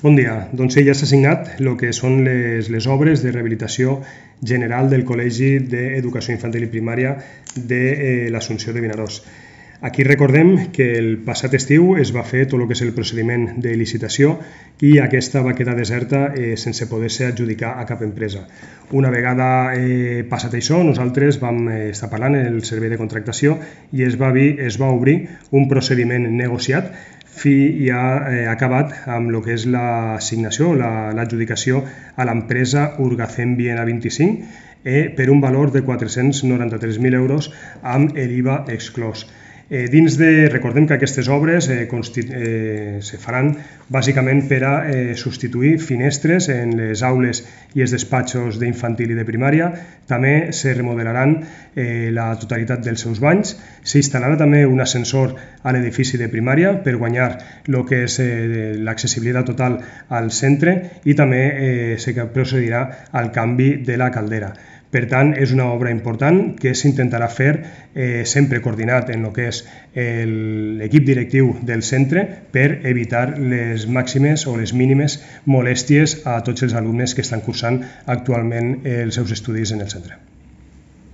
Bon dia. Doncs sí, ja s'ha signat el que són les obres de rehabilitació general del Col·legi d'Educació Infantil i Primària de l'Assumpció de Vinaròs. Aquí recordem que el passat estiu es va fer tot el que és el procediment de licitació i aquesta va quedar deserta sense poder-se adjudicar a cap empresa. Una vegada passat això, nosaltres vam estar parlant en el servei de contractació i es va obrir un procediment negociat i ha acabat amb el que és l'assignació, l'adjudicació a l'empresa Urgacem Viena 25 per un valor de 493.000 euros amb l'IVA exclòs. Recordem que aquestes obres se faran bàsicament per a substituir finestres en les aules i els despatxos d'infantil i de primària. També se remodelaran la totalitat dels seus banys. S'instal·larà també un ascensor a l'edifici de primària per guanyar el que és l'accessibilitat total al centre i també se procedirà al canvi de la caldera. Per tant, és una obra important que s'intentarà fer sempre coordinat en el que és l'equip directiu del centre per evitar les màximes o les mínimes molèsties a tots els alumnes que estan cursant actualment els seus estudis en el centre.